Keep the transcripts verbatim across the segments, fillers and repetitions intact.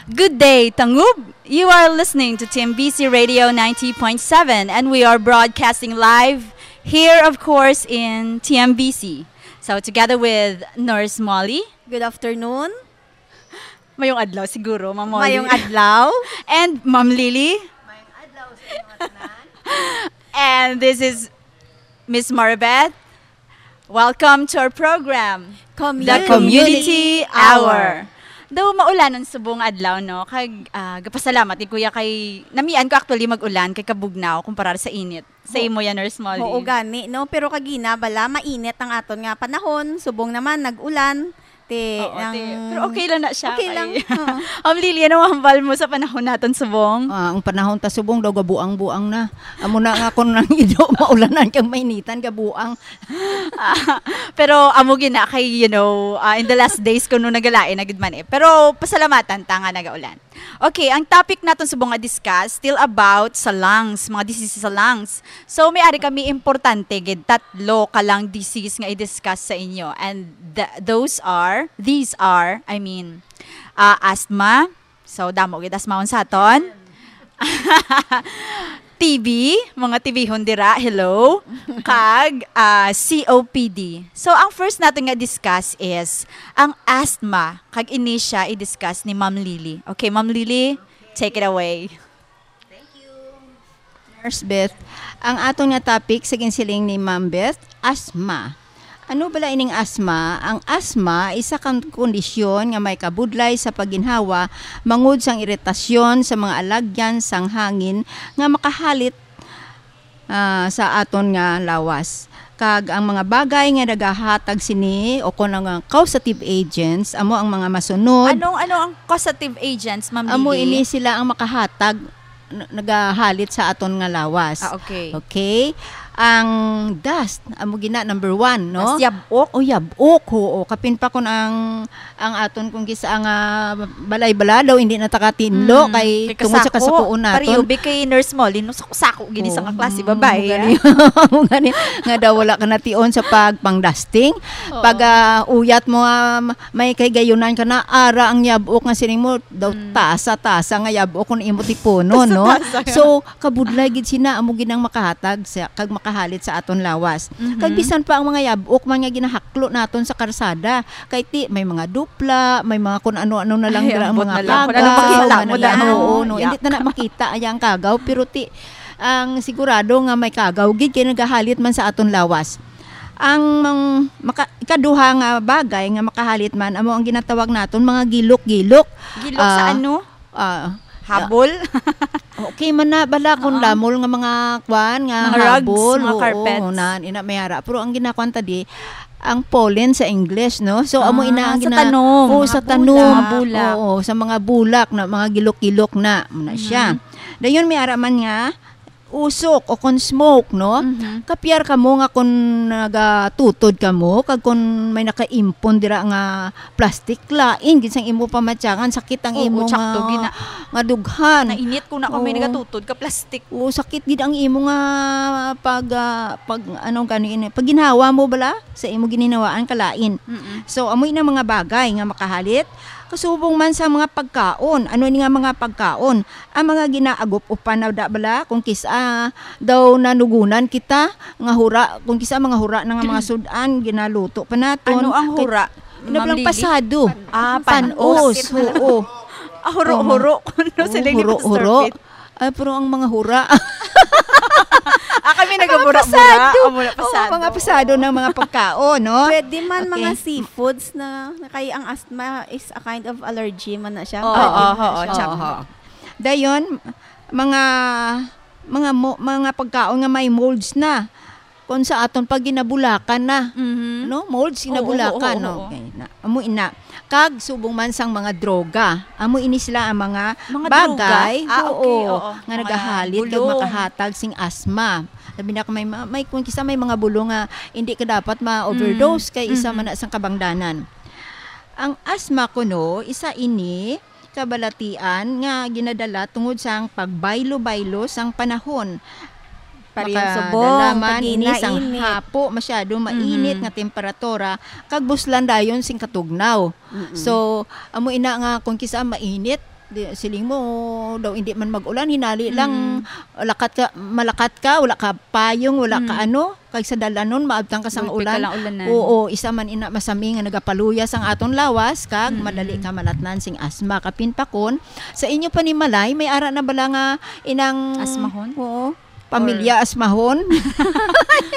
Good day, Tangub! You are listening to T M B C Radio ninety point seven, and we are broadcasting live here, of course, in T M B C. So, together with Nurse Molly. Good afternoon. Mayong adlaw siguro, Ma'am Molly. Mayong adlaw. And Ma'am Lily. Mayong adlaw sa inyo tanan. And this is Miss Maribeth. Welcome to our program, Community The Community Hour. Hour. Daw maulan ang subong adlaw, no? Kag, ah, gapasalamat ni Kuya kay namian ko actually mag-ulan kay kabugnaw kumpara sa init. Sa imo yan, Nurse Molly. Oo, gani, no? Pero kagina, bala, mainit ang aton nga panahon. Subong naman, nag-ulan. Te, Oo, ang te. Pero okay lang na siya. Okay lang. Ay. Oo. Ma'am Lily, ano ang hambal mo sa panahon naton subong? Ah, ang panahon ta subong daw gabuang-buang na. Amo na nga kung nang ido, maulanan kang mainitan, gabuang. Ah, pero amo gina kay, you know, ah, in the last days kuno nagalain na gid man eh. Pero pasalamatan ta nga nagaulan. Okay, ang topic naton subong nga discuss still about sa lungs, mga diseases sa lungs. So may ari kami importante gid, tatlo ka lung disease nga i-discuss sa inyo. And th- those are, these are, I mean, ah, asthma. So damo gid asthmaon sa aton. T B, mga T B-hon dira, hello. Kag ah, C O P D. So ang first naton nga discuss is ang asthma. Kag ini siya i-discuss ni Ma'am Lily. Okay, Ma'am Lily, take it away. Thank you, Nurse Beth. Ang aton nga topic sa ginsiling ni Ma'am Beth, asthma. Ano bala ining asthma? Ang asthma isa ka kondisyon nga may kabudlay sa pagginhawa mangod sang iritasyon sa mga alagyan sang hangin nga makahalit ah, sa aton nga lawas. Kag ang mga bagay nga nagahatag sini o kon ang, ah, causative agents amo ang mga masunod. Anong, ano ang causative agents, Ma'am Amo Lily? Ini sila ang makahatag, n- nagahalit sa aton nga lawas. Ah, okay. Okay. Ang dust, amo gina number one, no? Dust, yab-ok. O, yab-ok, oo. Kapin pa kun ang ang aton kung kisa nga balay-balay daw hindi na takatinlo Mm, kay kay tungod sa kasako. Kasako naton. Pariubi kay Nurse Molly, no, sako-sako gini sa Oo. Nga klase Mm, babae, ah. Gani, nga daw wala ka nation sa pagpangdasting. Oo. Pag, ah, uyat mo, ah, ma- may kay gayunan ka na, ara ang yab-ok nga sining mo, daw Mm. tasa-tasa nga yab-ok kung imo tipunon, no? Tasa-tasa nga. So, kabudlay gid sina, amo gid ang makahatag sa, kag makahalit sa aton lawas. Mhm. Kag bisan pa ang mga yab-ok man nga ginahaklo naton sa karsada, kay ti, may mga dupla, may mga kun ano-ano na lang Ay, dira ang ambot mga na lang. Kun ano kagaw, makita mo mga daan. Oo, no? Yak. Hindi ta na makita ay ang kagaw, pero ti, ang sigurado nga may kagaw gid kay nagahalit man sa aton lawas. Ang mang-, maka-, ikaduha nga bagay nga makahalit man amo ang ginatawag naton mga gilok-gilok. Gilok sa Ah, ano? Ah, Habol? Okay man na bala kung Oo. lamol nga mga kwan, nga Mga rugs, habol, mga oo, carpets. Hunan, ina may ara. Pero ang ginakuan ta di, ang pollen sa English, no? So, amo Ah, ina ang sa gina-, tanom. Oo, sa Mga tanom. Bulak. Mga bulak. Oo, sa mga bulak na, mga gilok-gilok na, muna siya. Mhm. Dayon may ara man nga, usok o kon smoke, no? Mhm. Kapiar kamo nga kon nagatutod kamo, kag kon may nakaimpon dira nga plastic, lain gid sang imo pamatyangan, sakit ang Oo, imo tsakto nga, gina- nga dughan. Nainit ko na kung may Oo. nagatutod ka plastic. Oo, sakit gid ang imo nga pag, ah, pag, ano gani ini, pag ginhawa mo bala sa imo gininhawaan kalain. Mm-mm. So, amoy na mga bagay nga makahalit. Kasubong man sa mga pagkaon. Ano ni nga mga pagkaon? Ang mga ginaagup-upan na da bala, kung kis-, ah, daw nanugunan kita, nga hura, kung kisa mga hura na nga mga sudan, ginaluto pa naton. Ano ang Kay hura, Ina Ma'am lang Lily? Pasado. Ah, Panos, panos. Sakit na. Oo. Ah, huro-huro. Oo, Kuno sila ni huro-huro. Mister Pitt. Ay, pero ang mga hura. Ah, kami Ang mga nagabura-bura. Pasado. Ang mga Oo, pasado. Mga pasado ng mga pagkaon, no? Pwede man Okay. mga seafoods na, na kay ang asthma is a kind of allergy man na siya. Oo, Allergy oo, man na oo, siya. Tsaka. Oo. Dayon, mga, mga mo-, mga pagkaon nga may molds na. Kung sa aton pag ginabulakan na, Mhm. no? Molds Oo, ginabulakan, oo, oo, no? oo. Okay, na. Amo ina. Kag subong man sang mga droga. Amo ini sila ang mga Mga bagay, droga? Ah, okay, oo, oo. Nga Mga nagahalit kag bulong. Makahatag sing asma. Labi na kung may ma-, may, kung kisa may mga bulong nga hindi ka dapat ma-overdose, Mhm. kay isa Mhm. man na sang kabangdanan. Ang asma kuno, isa ini kabalatian nga ginadala tungod sang pagbaylo-baylo sang panahon. Pareho subong, Makadala man ini sang pag-inainit. Hapo, masyado mainit Mhm. nga temperatura, kag buslan dayon sing katugnaw. Mm-mm. So, amo ina nga kung kisa mainit, Di, siling mo, daw hindi man mag-ulan, hinali lang, Mm. lakat ka, malakat ka, wala ka payong, wala ka Mm. ano, kag sa dalanon, maabtan ka sang Gulpi ka ulan. lang ulanan. Oo, isa man ina masami nga nagapaluya sang aton lawas, kag Mm. madali ka malatnan sing asma. Kapin pa kon, sa inyo panimalay, may ara na bala nga inang Asmahon? Oo. Pamilya Or asmahon.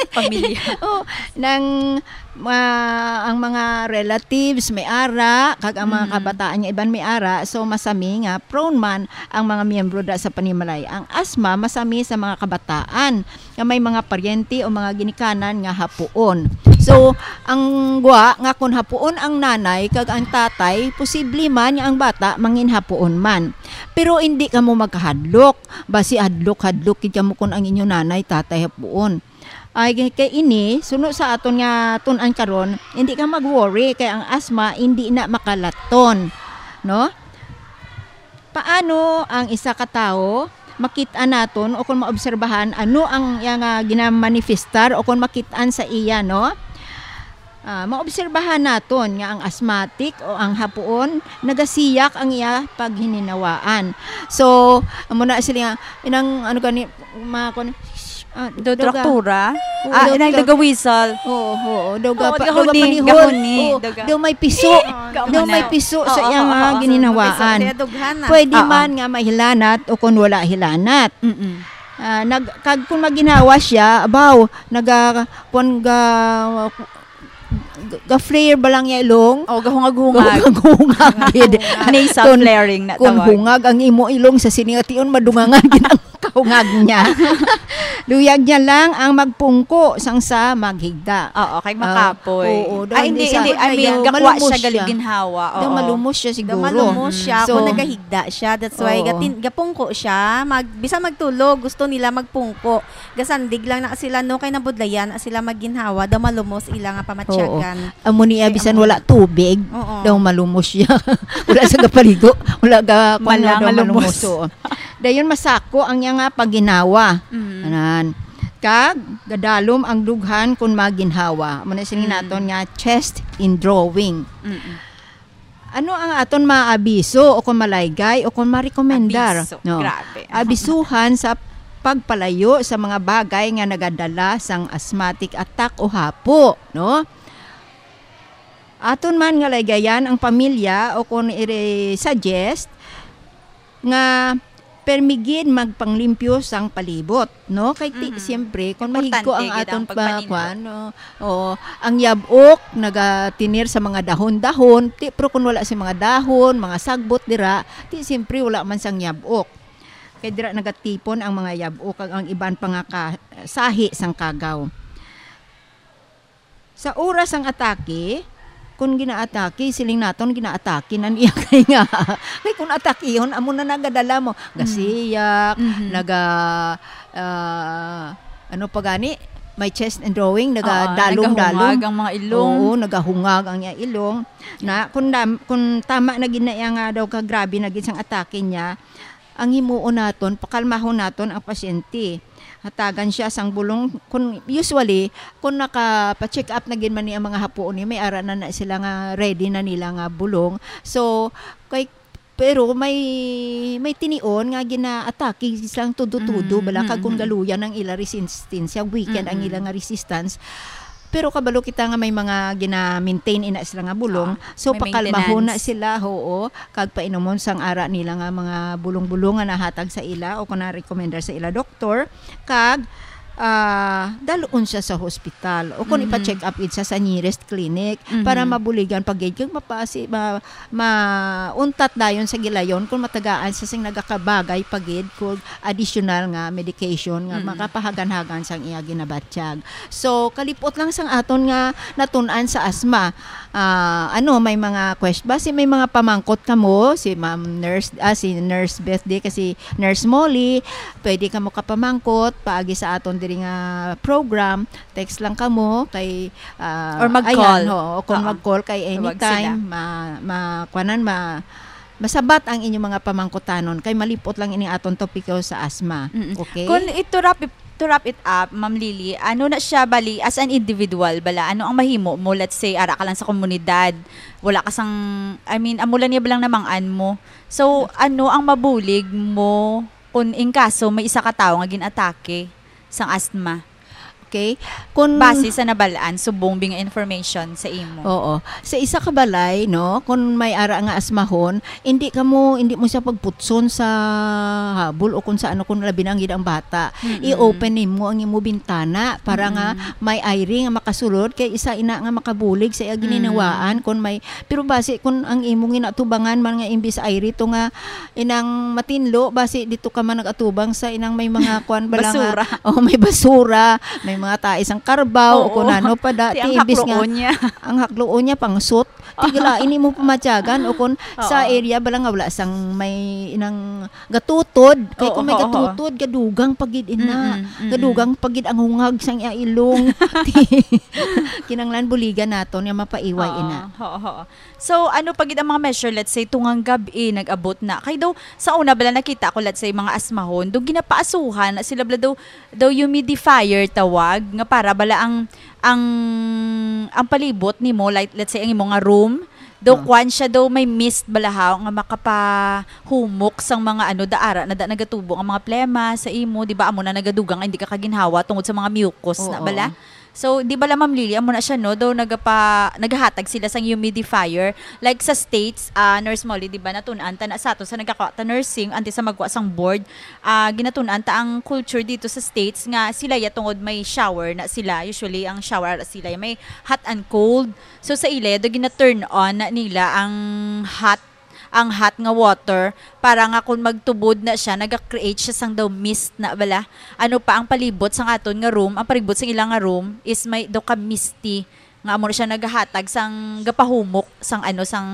Pamilya. Oh, nang, ah, ang mga relatives may ara, kag ang mga Mm. kabataan nga iban may ara, so masami nga prone man ang mga miyembro da sa panimalay. Ang asma masami sa mga kabataan nga may mga paryente o mga ginikanan nga hapuon. So, ang gwa nga kun hapuon ang nanay kag ang tatay, posible man nga ang bata mangin hapuon man. Pero hindi kamo magkahadlok. Basi hadlok-hadlok gid kamo kun ang inyo nanay, tatay hapuon. Ay, kay ini, suno sa aton nga tun-an karon, hindi ka mag-worry kay ang asma hindi na makalaton, no? Paano ang isa ka tawo makit-an naton o kung maobserbahan ano ang iya nga ginamanifestar o kung makit-an sa iya, no? Ah, maobserbahan naton nga ang asthmatic o ang hapuon nagasiyak ang iya paghininawaan. So, amo na sila nga, inang, ano gani, mga kun-, ah, Do daw ga-, traktura? Oo, Ah, daw inang ga-, daga whistle. Oo, oo, daw Oo, ga-, pa-, daw gahuni, gapanihon. Gahuni, Oo, daw ga- daw may piso. Oo, Daw may gahuna. piso sa Oo, iyang, oo, ah, oo. gininawaan. May piso, kaya dughan na. Pwede Oo. man nga may hilanat o kung wala hilanat. Mm-mm. Ah, nag-, kag kung maginhawa siya, abaw, naga-, kung ga-, ga-, ga-flare ba lang niya ilong? Oh, gahungag-hungag. Gahungag-hungag, gid. Nasal Kung, flaring na kung tawag. hungag ang imo ilong sa sini nga tion, madungangan gid ang kahungag niya. Luyag niya lang ang magpungko sang sa maghigda. Oo, kay Ah, makapoy. oo, Ah, daw hindi, hindi sa, hindi. I mean, daw gakwa malumos siya siya. galing ginhawa. Daw Oo. malumos siya Daw siguro. malumos siya So, kung nagahigda siya. That's why Oo. gatin-, gapungko siya. Mag-, bisan magtulog, gusto nila magpungko. Gasandig lang na sila, no, kay nabudlayan na sila magginhawa, daw malumos ila nga pamatyagan. Oo. Amo niya, Kay bisan amo. wala tubig, Oo. daw malumos siya. Wala sa gapaligo, wala ga, kuwan, Wala daw nga malumos. lumos, oo. Dayon masako ang iya nga pagginhawa. Mm. Anan. Kag gadalom ang dughan kun maginhawa. Amo na sini Mm. naton nga chest in drawing. Mm-mm. Ano ang aton maabiso o kung malaygay o kung marekomendar, Abiso. no? Grabe. Abisuhan sa pagpalayo sa mga bagay nga nagadala sang asthmatic attack o hapo, no? Aton man nga laygayan ang pamilya o kung i-suggest nga permi gid magpanglimpyo sang palibot, no? Kay ti-, Mhm. siyempre, kung Importante mahigko ang gid ang aton pa-, pagpaninot. kuwan, no? Oo, ang yab-ok nagatinir sa mga dahon-dahon, ti-, pero kung wala sa mga dahon, mga sagbot dira, ti siyempre wala man sang yab-ok. Kay dira nagatipon ang mga yab-ok kag ang iban pa nga ka-, sahi sang kagaw. Sa oras sang atake, kung ginaatake, siling naton ginaatake na niya kay nga. Kay kung atakihon, amo na nagadala mo. Mm. Gasiyak, Mhm. naga-, ah, ano pa gani? May chest and drawing, Oo, nagadalom-dalom. nagahungag ang mga ilong. Oo, nagahungag ang iya ilong. Na, kung dam-, kung tama na gid na iya nga daw ka grabe na gid sang atake niya, ang himuon naton, pakalmahon naton ang pasyente. Hatagan siya sang bulong. Kun, usually, kung nakapa-check up na gid man ni ang mga hapuon ni, may ara na, na sila nga ready na nila nga bulong. So, kay, pero may, may tinion nga ginaatake silang tudo-tudo, Mm, bala, kag mm, kung mm. galuyan ang ila resistensya, weaken ang Mm, mm. ila nga resistance. Pero kabalo kita nga may mga gina-maintain ina sila nga bulong. Ah, So, may pakalmahon na maintenance. sila, oo, kag painumon sang ara nila nga mga bulong-bulong nga nahatag sa ila o kung narekomendar sa ila doktor, kag, ah, dalon siya sa hospital o kung Mhm. ipa-check up gid siya sa nearest clinic para Mhm. mabuligan pa gid kag mapasi-, ma-, mauntat dayon sa gilayon kung matagaan siya sing nagakabagay pa gid kung additional nga medication nga Mm. makapahagan-hagan sang iya ginabatyag. So, kalipot lang sang aton nga natun-an sa asma. Ah, ano, may mga quest-, basi may mga pamangkot kamo, si Ma'am Nurse, ah, si Nurse Beth di, kasi Nurse Molly, pwede kamo kapamangkot paagi sa aton diri nga program. Text lang kamo kay, ah, Or mag-call. ayan, oo, kung Oo. mag-call kay Tawag anytime, sila. ma-, ma-, kuwanan, ma-, masabat ang inyong mga pamangkutanon kay malipot lang ini aton topiko sa asma. Mm-mm. Okay? Kung ito, Rap, ip-, To wrap it up, Ma'am Lily, ano na siya bali as an individual bala? Ano ang mahimo mo? Let's say, ara ka lang sa komunidad. Wala ka sang, I mean, amo lang niya balang namang-an mo. So, ano ang mabulig mo kung in kaso may isa ka tawo nga gin-atake sang asthma? Okay? Kung Base sa nabal-an, subong bi nga information sa imo. Oo. Sa isa ka balay, no, kung may ara nga asmahon, hindi ka mo, hindi mo siya pagputson sa habol o kung sa ano, kung labi na ang gid ang bata. Mm-mm. I-open nimo ang imo bintana para nga Mm-mm. may aire nga makasulod, kay isa ina nga makabulig sa iya Mm. gininawaan kung may, pero basi kung ang imong ginatubangan man nga imbis aire to nga inang matinlo, basi dito ka man nag-atubang sa inang may mga kwan bala nga, Basura. Oh, may basura, may mga tae sang karbaw, o Oo. kung ano pa da, Ti ang ti imbis nga hakloon niya. Ang hakloon niya, pangsot. Tigla, ini mo pamatyagan, o kung sa Oo. area bala nga wala sang may inang gatutod, kay Oo, kung may oo, oo. gatutod, gadugang pagid ina. Mm-mm, mm-mm. Gadugang pagid ang hungag sang iya ilong. Kinanglan buligan naton nga mapaiway Oo, ina. Oo, oo. So, ano pa gid ang mga measure, let's say, tungang gab-i, nag-abot na. Kay daw, sa una bala nakita ko, let's say, mga asmahon, daw ginapaasuhan na sila bala daw, daw humidifier tawag, nga para bala ang, ang, ang palibot nimo, like, let's say, ang imo nga room, daw Ah. kwan siya, daw may mist bala haw nga makapahumok sang mga ano, daara na da nagatubo ang mga plema sa imo, di ba? Amo na nagadugang, hindi ka kaginhawa tungod sa mga mucus Oo. na bala. So, di ba la, Ma'am Lily, amo na siya, no? Daw nagapa-, nagahatag sila sang humidifier. Like sa States, ah, Nurse Molly, di ba, natun-an ta na sa ato sa nagkakwa ta nursing, antes sa magkwa sang board, ah, ginatun-an ta ang culture dito sa States nga sila ya tungod may shower na sila. Usually, ang shower sila ya may hot and cold. So, sa ila, daw gina-turn on na nila ang hot ang hot nga water para nga kung magtubod na siya, naga-create siya sang daw mist na bala. Ano pa ang palibot sang aton nga room, ang palibot sang ila nga room is may daw ka misty nga amo na siya nagahatag sang gapahumok sang ano, sang,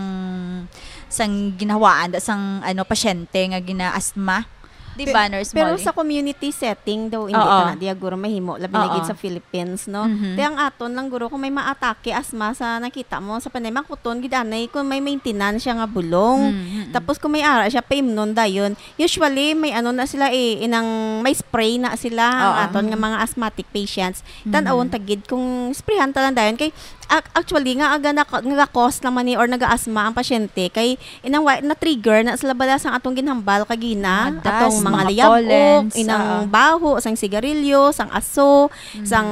sang ginhawaan da sang ano, pasyente nga gina-asthma. Di Pe-, ba, Nurse pero Molly? Sa community setting daw, hindi Oo. ta na diya guro mahimo, labi na Oo. gid sa Philippines, no? Mhm. Te ang aton lang guro, kung may maatake asma sa nakita mo sa panay, makuton gid anay kung may maintenance siya nga bulong. Mm, mm, mm. Tapos kung may ara siya, paimnon dayon. Usually, may ano na sila eh, inang may spray na sila, ang Oo. aton nga mga asthmatic patients. Mhm. Tan-awon ta gid kung sprayhan ta lang dayon. Kay, ac-, actually, nga, aga na, nga ga-cause naman ni or naga-asma ang pasyente, kay inang wa-, na-trigger na sila bala sang atong ginhambal kagina, Mga dust, atong mga mga layab-ok, pollens, inang ah. baho, sang sigarilyo, sang aso, Mm. sang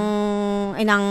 inang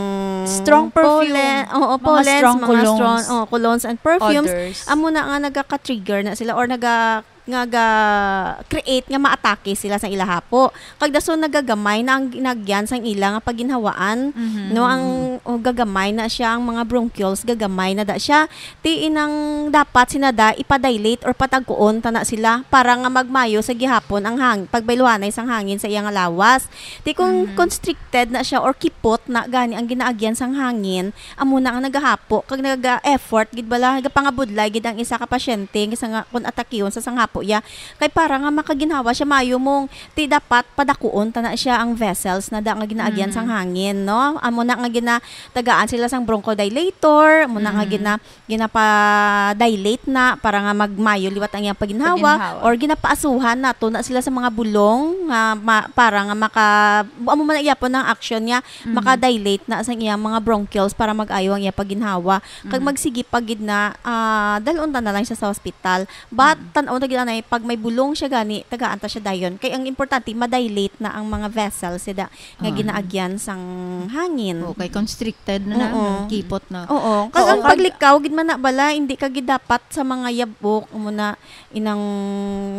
Strong perfume. pollen, oo, Mga pollens, strong mga strong, colognes. oh, colognes and perfumes. Odors. Amo na nga nagaka-trigger na sila or naga-, nga ga-create nga maatake sila sa ila hapo. Kag dason nagagamay na ang ginagyan sang ila nga pagginhawaan, Mhm. no, ang, o, gagamay na siya, ang mga bronchioles, gagamay na da siya. Ti inang dapat sinada ipa-dilate or patagkuon ta na sila para nga magmayo sa gihapon ang hang-, pagbayluhanay sang hangin sa iya nga lawas. Ti kung Mhm. constricted na siya or kipot na gani ang ginaagyan sang hangin, amo na ang nagahapo kag naga-effort gid bala, nagapangabudlay gid ang isa ka pasyente nga sa nga, kung atakihon sa sanghapo iya. Kay para nga makaginhawa siya, mayo mong ti dapat padakuon ta na siya ang vessels na da nga ginaagyan Mm. sang hangin, no? Amo na nga ginatagaan sila sang bronchodilator, amo na nga Mm. gina-, ginapa-dilate na para nga magmayo liwat ang iyang paginhawa, Paginhawa. or ginapaasuhan nato na sila sa mga bulong nga ma-, para nga maka-, amo man ang iyapon ang action niya, Mhm. maka-dilate na sang iyang mga bronchioles para mag-ayo ang iya paginhawa. Kag Mhm. magsigi pa gid na, ah, dalon ta na lang siya sa hospital. But, Mhm. tan-aw ta gid anay, pag may bulong siya gani, tagaan ta siya dayon. Kay ang importante, ma-dilate na ang mga vessels, sida, nga Ah. ginaagyan sang hangin. Okay, constricted na na, Oo. kipot na. Oo. Kag Oo, ang pag- paglikaw, gid man na bala, hindi ka gid dapat sa mga yabok, amo na, inang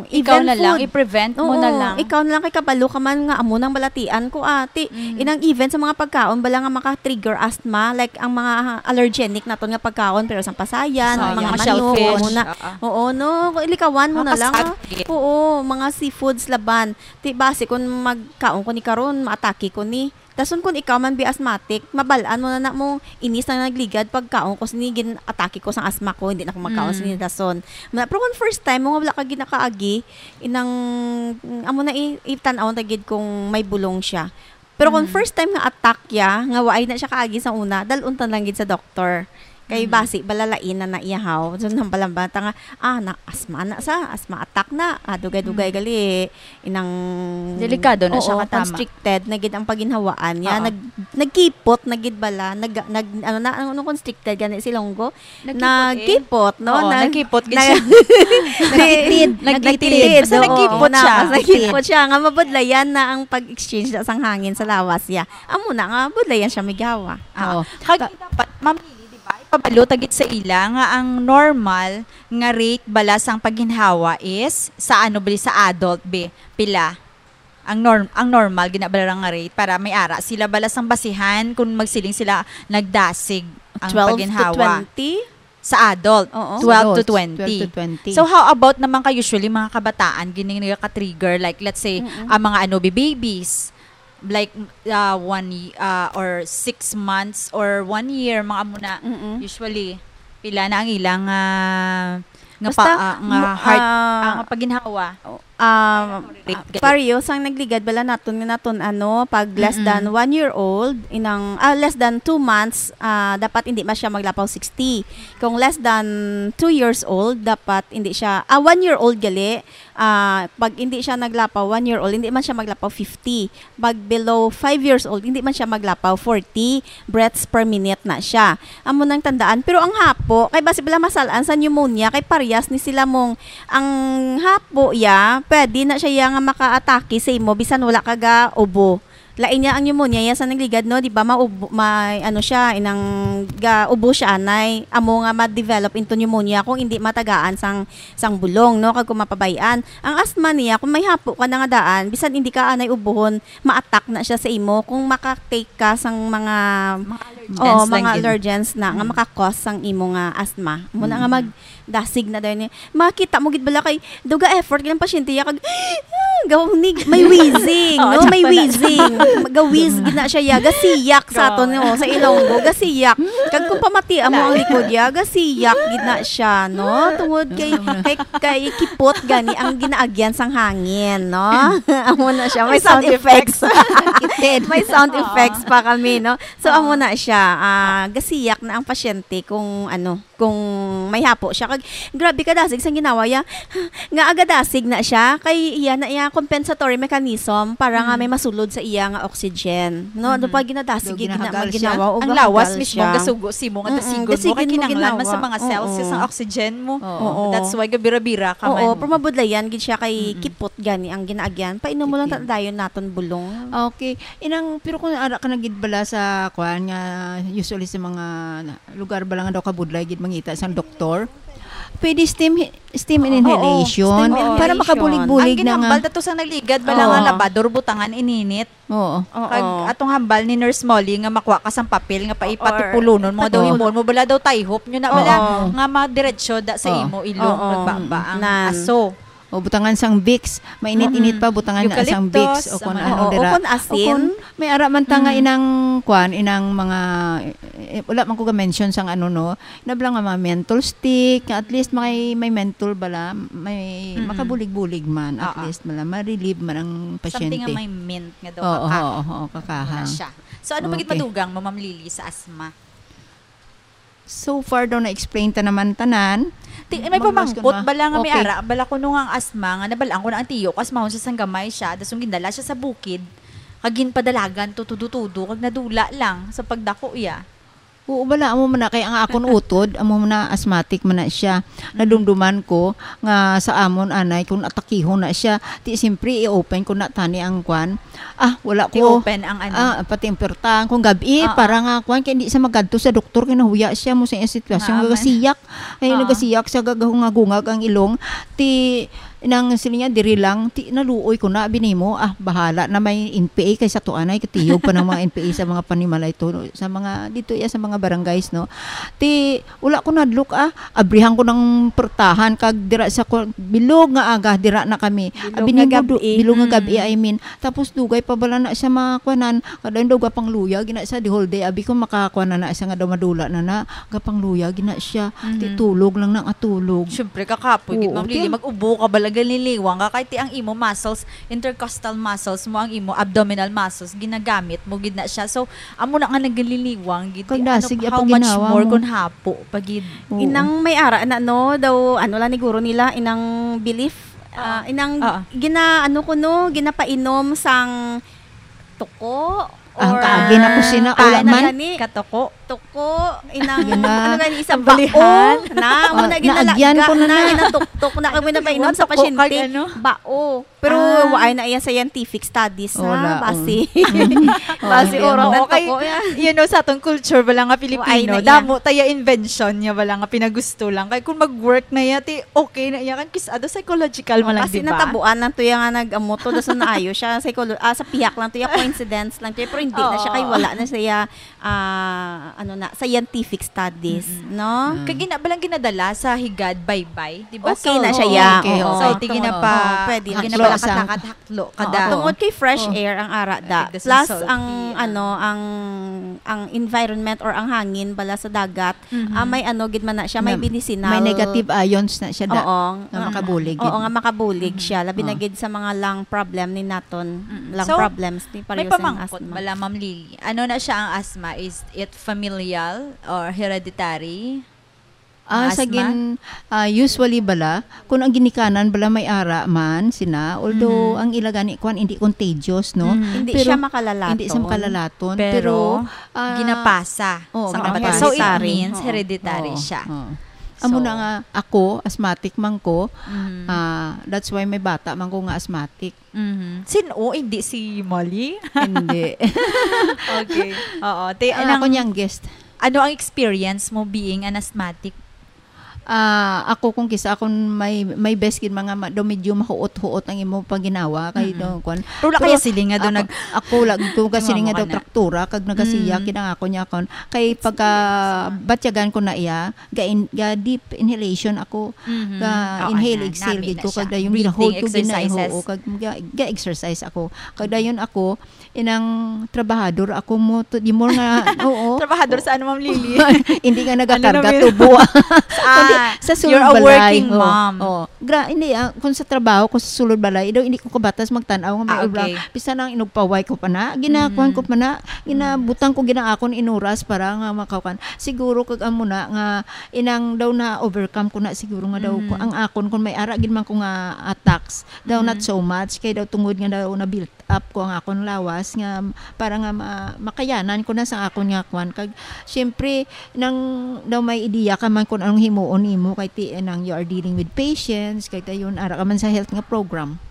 Ikaw even na lang, food. i-prevent mo na Oo, lang. ikaw na lang kay kabalo ka man nga amo nang balatian ko, ati. Mm. Inang even sa mga pagkaon bala nga maka-trigger asthma, like ang mga allergenic naton nga pagkaon, pero sang pasayan, Pasayan. mga Mga manok, shellfish. amo na. Oo. Oo, no, ilikawan mo Mga na lang, ah. kasagit. Oo, mga seafoods laban. Ti basi kung magkaon ko ni karon, maatake ko ni. Dason kung ikaw man bi asthmatic, mabal-an mo na na mo, inis na nagligad pagkaon ko sini, gin-atake ko sang asma ko, hindi na ko magkaon Mm. sini dason. Ma-, pero kung first time mo nga wala ka ginakaagi, inang, amo na i-, itan-aw ta gid kung may bulong siya. Pero kung Mm. first time nga attack ya, nga waay na siya kaagi sa una, dalon ta lang gid sa doktor. Kay Mhm. basi bala lain na naiyahaw. So, nang balambata nga, ah, na, asma na sa, asma attack na. Ah, dugay-dugay Mm. gali. Inang Delikado na siya Oo, katama. constricted na gid ang paginhawaan niya. Oo. Nag-, nagkipot na gid bala. Nag-, nag-, ano na, ano, constricted gani si Ilonggo? Nagkipot eh. Nagkipot, no? Oo, Nag-, nagkipot gid nag-, siya. Nagtitid. Nagtitid. Basta Oo, nagkipot na, siya. Basta nagkipot siya. Nga mabudlayan na ang pag-exchange na sang hangin sa lawas niya. Amo na nga, budlayan siya migawa. Ah, Oo. Kag Ka- dapat, Ma'am Lily, di ba, ipabalo ta gid sa ila nga ang normal nga rate bala sang pagginhawa is sa ano, bali, sa adult, be? Pila? Ang norm-, ang normal gina bala nga rate para may ara sila bala sang basihan kung magsiling sila nagdasig ang Twelve to pagginhawa. twenty? Sa adult, Oo. twelve to Adults, twenty. twelve to twenty. So, how about naman ka usually mga kabataan, gini nga ka-trigger, like, let's say, Mm-mm. ang mga ano, babies, like, uh, one y-, uh, or six months or one year, mga amo na, Mm-mm. usually, pila na ang ilang, ah, nga Basta, pa, ah, nga mo-, heart, ah, ah, nga paginhawa? Um, Rate ah, gali. Pareho sang nagligad bala naton nga naton, ano, pag less Mm-mm. than one year old, inang, ah, less than two months, ah, dapat hindi man siya maglapaw sixty. Kung less than two years old, dapat hindi siya, ah, one year old gali, ah, pag hindi siya naglapaw, one year old, hindi man siya maglapaw fifty. Pag below five years old, hindi man siya maglapaw, forty breaths per minute na siya. Amo nang tandaan. Pero ang hapo, kay basi bala masal-an sa pneumonia, kay parehas ni sila mong, ang hapo ya, pwede na siya ya nga makaatake sa imo, bisan wala ka ga ubo. Lain niya ang pneumonia ya sa nagligad, no? Di ba, maubo, may, ano siya, inang ga ubo siya, anay, amo nga ma-develop into pneumonia kung hindi matagaan sang, sang bulong, no? Kag kung mapabay-an. Ang asthma niya, kung may hapo ka na nga daan, bisan hindi ka anay ubuhon, ma-attack na siya sa imo kung maka-take ka sang mga, Mga allergens. oo, Advance lang mga gid. allergens na nga Mm. maka-cause sang imo nga asthma. Amo na nga Mm. magdasig na dayon niya. Makita mo gid bala kay daw ga-effort gid ang pasyente ya kag gawnig, may wheezing, Oo, no? May sakto na. wheezing. Ga-wheeze gid na siya ya. Gasiyak sa aton, Go. no? Sa Ilonggo, gasiyak. Kag kung pamati amo ang likod ya, gasiyak gid na siya, no? Tungod kay, kay, kay kipot gani ang ginaagyan sang hangin, no? Amo na siya. May May sound sound effects. effects. May sound Oo. effects pa kami, no? So, amo Oo. na siya. Ah, gasiyak na ang pasyente kung ano, kung may hapo siya. Kag, grabe ka dasig sang ginawa ya. Nga agadasig na siya, kay iya na iya compensatory mechanism para nga Mm. may masulod sa iya nga oxygen. No, ano Mm. pa, ginadasig, Daw gina-, ginahagal siya. ginawa, o Ang gahagal lawas mismo, siya. gasugo, simo nga Mm-mm, dasigon mo, dasigon kay mo kinahanglan man sa ginawa. mga cells Oo. sa oxygen mo. Oo. Oo. That's why gabira-bira ka Oo, man. pero mabudlayan gid siya kay Mm-mm. kipot gani ang ginaagyan. Painom mo lang Kipot. ta-, dayon naton bulong. Okay. Inang, pero kung ara ka na gid bala sa, kuan nga, usually sa mga na-, lugar bala nga daw kabudlay gid mangita sang doktor, pwede steam hi-, steam Oo, inhalation steam para inhalation. makabulig-bulig Ang na nga. ginhambal dato sa nagligad bala Oo. nga labador, butangan ininit. Oo. Oo. Kag atong hambal ni Nurse Molly nga makuha ka sang papel nga Oo, paipatipulonon mo, daw oo. himuon mo bala daw tayhop nyo na bala Oo. nga madiretso da sa Oo. imo ilong, Oo. magbaba ang Nan. aso. O butangan sang Vicks, mainit-init Mm-mm. pa, butangan na sang Eucalyptus, Vicks, o ang kung mga ano Oo, o dira. kung asin. O kung may ara man ta nga Mm. inang, kwan, inang mga, eh, wala man ko ga-mention sang ano, no? Nabla nga mga menthol stick, nga at least may, may menthol bala, may Mm-mm. makabulig-bulig man, at Oo. least bala, ma-relieve man ang Something pasyente. nga may mint nga daw Oo, kakaha. oo, oo, kakaha. Wala siya. So, ano pa gid Okay. madugang mo, Ma'am Lily, sa asthma? So far daw na-explain ta naman tanan. Ti-, may Manglas ko pamangkot na. bala nga may Okay. ara, bala kuno nga ang asma, nga nabal-an ko na ang tiyo ko, asmahon siya sang gamay siya, das nung gindala siya sa bukid, kag ginpadalagan to tudo-tudo, kag nadula lang sa pagdako iya. Oo, bala, amo man na, kay ang akon utod, amo man na, asthmatic man na siya. Mm. Nadumduman ko nga sa amon, anay, kung atakihon na siya, ti, siyempre, i-open ko na tani ang kwan, Ah, wala ko. I-open ang ano. Ah, pati ang pertahan. Kung gabi, Oo. para nga, kuwan, kaya hindi siya magadto sa doktor, kaya nahuya siya mo sa iyang sitwasyon. Nga, nga man. gasiyak. Ay, Oo. nagasiyak siya, gagahungag-hungag ang ilong. Ti, nang sila niya, diri lang, ti, naluoy ko na, abi nimo, ah, bahala na may N P A kay sa tuanay, katiyog pa ng mga N P A sa mga panimalay to, no? Sa mga, dito iya, sa mga barangays, no? Ti, Wala ko nadlok, ah. Abrihan ko ng portahan, kag dira sa ko, bilog nga aga, dira na kami. Bilog Abi nga nimo du-, gabi. bilog nga Mm. gabi, I mean. Tapos dugay pa bala na siya mga kuwanan. Kada daw gapangluya, gina siya, the whole day. Abi ko makakuwanan na siya nga daw madula na na. Gapangluya, gina siya. Ti Mhm. tulog lang na nga tulog. Siyempre, kakapoy, gid, Oo, Ma'am Lily, ti- mag-ubo ka bala Galiliwang ka kay ti ang imo muscles, intercostal muscles mo, ang imo abdominal muscles, ginagamit mo gid na siya. So, amo na nga nagaliliwang gid. Kag Ano, nasig ya how pag much ginawa more mo. Kung hapo pa gid. Oo. Inang may ara na, no, daw, ano lang ni guro nila, inang belief, ah, inang Ah. gina, ano ko, no, ginapainom sang tuko, Ang or kaagi na ko sina, ah, wala ano man. gani? Katuko. Tuko, inang, Gina- ano gani, isang Ang balihan. Bao, na, amo Ah, na naagyan ko ginalagga, na na, na. ginatuktok na, kag may napainom sa Tuko kag pasyente. ano? Bao. Pero Ah. waay na iya scientific studies, ha? Wala, Basi. um. Basi, Oh, oro. Oo, Ang kay, tuko, ya. you know, sa atong culture bala nga Filipino, Waay na iya. damo taya invention niya bala nga pinagusto lang. Kay kung mag-work na iya, ti okay na iya. Kan kis-, ado psychological man lang, Kasi di ba? natabuan lang to iya nga nag-amo to, dason naayo siya. Psycholo-, ah, sa pihak lang to iya, coincidence lang to iya, pero hindi na siya, Oo. kay wala na siya, ah, ano na, scientific studies, no? Kag gina-, balang ginadala sa higad baybay, di ba? Okay na So, siya, oo. ya. Okay, Oo. oo. So, di Tungod. ginapa-, Oo, pwede. Haklo ginapalakat-lakat, sang haklo, Oo, kada. tungod kay fresh Oo. air ang ara da. Tigda sa Plus, salty, ang, ah. ano, ang, ang environment or ang hangin bala sa dagat, Mhm. ah, may ano gid man na siya, may Na- medicinal. May negative ions na siya da. Oo. Nga makabulig Oo, gid. nga makabulig siya. Labi na Oo. gid sa mga lung problem ni naton. Mm-mm. Lung So, problems ni May pareho sa pamangkot asthma. bala, Ma'am Lily. Ano na siya ang asthma? Is it familial or hereditary? Ah, Asthma? Sa gin, ah, usually bala, kung ang ginikanan bala may ara man sina, although Mhm. ang ila gani kwan hindi contagious, no? Mhm. Hindi Pero siya makalalaton. Hindi siya makalalaton. Pero, Pero, ah, ginapasa oo, sa ginapasa. kapatid. So, it Hereditary. means Oo. hereditary Oo, siya. oo. Amo So, na nga, ako, asthmatic man ko. Mhm. Ah, that's why may bata man ko nga asthmatic. Mhm. Sin-o, hindi si Molly? Hindi. Okay. Oo. Te, Ah, anong, ako niyang guest. Ano ang experience mo being an asthmatic? Ah, ako kung kisa akon may, may best gid mga ma-, daw medyo mahuot-huot ang imo paginawa kay Mm-mm. daw kwan. Pero wala Pero kaya siling nga daw ako, nag- ako lagi ko kasi Tumamo nga ka daw na. Traktura kag nagasiya Mm. kinang ako niya kon kay pagka batyagan ko na iya ga, in, ga deep inhalation ako Mhm. ga Oo, inhale na, exhale nami gid na ko siya. Kag dayon Breathing gina-hold ko gid na exercises. Oo, kag ga, ga exercise ako kag dayon ako inang trabahador ako mo to di mo nga oo Trabahador sa ano, Ma'am Lily? Hindi nga Ano nagakarga naman? tubo. Ah, Kundi sa sulod you're a balay. working Oh, mom. Oh. Gra, hindi, ah, kung sa trabaho ko sa sulod balay, daw hindi ko kabatas magtan-aw nga may Ah, obra. Okay. Bisan ang inugpaway ko pa na, ginakuan Mm. ko pa na, ginabutang ko gina akon in oras para nga makaukan. Siguro kag amo na nga inang daw na overcome ko na siguro nga daw ko, Mm. ang akon kung may ara gid man ko nga attacks, daw not Mm. so much kay daw tungod nga daw na built up ko ang akon lawas nga para nga ma- makayanan ko na sa akon nga kwan kag syempre nang daw may ideya ka man kung anong himuon nimo kay ti nang you are dealing with patients kay dayon ara ka man sa health nga program.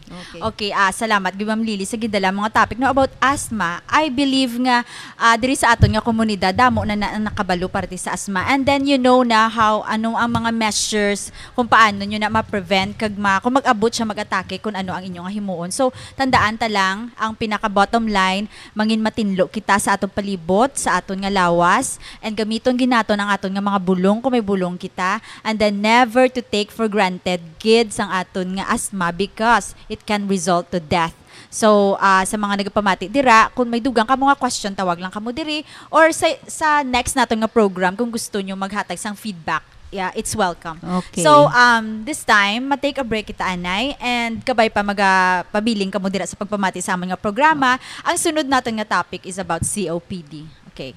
Okay. Okay, ah, salamat gid, Ma'am Lily, sa gidala mo nga topic, no, about asthma. I believe nga, ah, diri sa aton nga komunidad damo na, na nakabalo parte sa asthma. And then you know na how ano ang mga measures kung paano nyo na ma-prevent kag ma, kung mag-abot siya mag-atake kung ano ang inyo nga himuon. So, tandaan ta lang ang pinaka bottom line, mangin matinlo kita sa aton palibot, sa aton nga lawas, and gamiton gid naton ang aton nga mga bulong kung may bulong kita, and then never to take for granted gid sang aton nga asthma because it can result to death. So, ah, sa mga nagapamati dira, kung may dugang kamo nga question, tawag lang kamo diri, or sa, sa next naton nga program, kung gusto nyo maghatag sang feedback, yeah, it's welcome. Okay. So, um, this time, ma-take a break kita, anay, and kabay pa magapabiling kamo dira sa pagpamati sa amon nga programa. Ang sunod naton nga topic is about C O P D. Okay.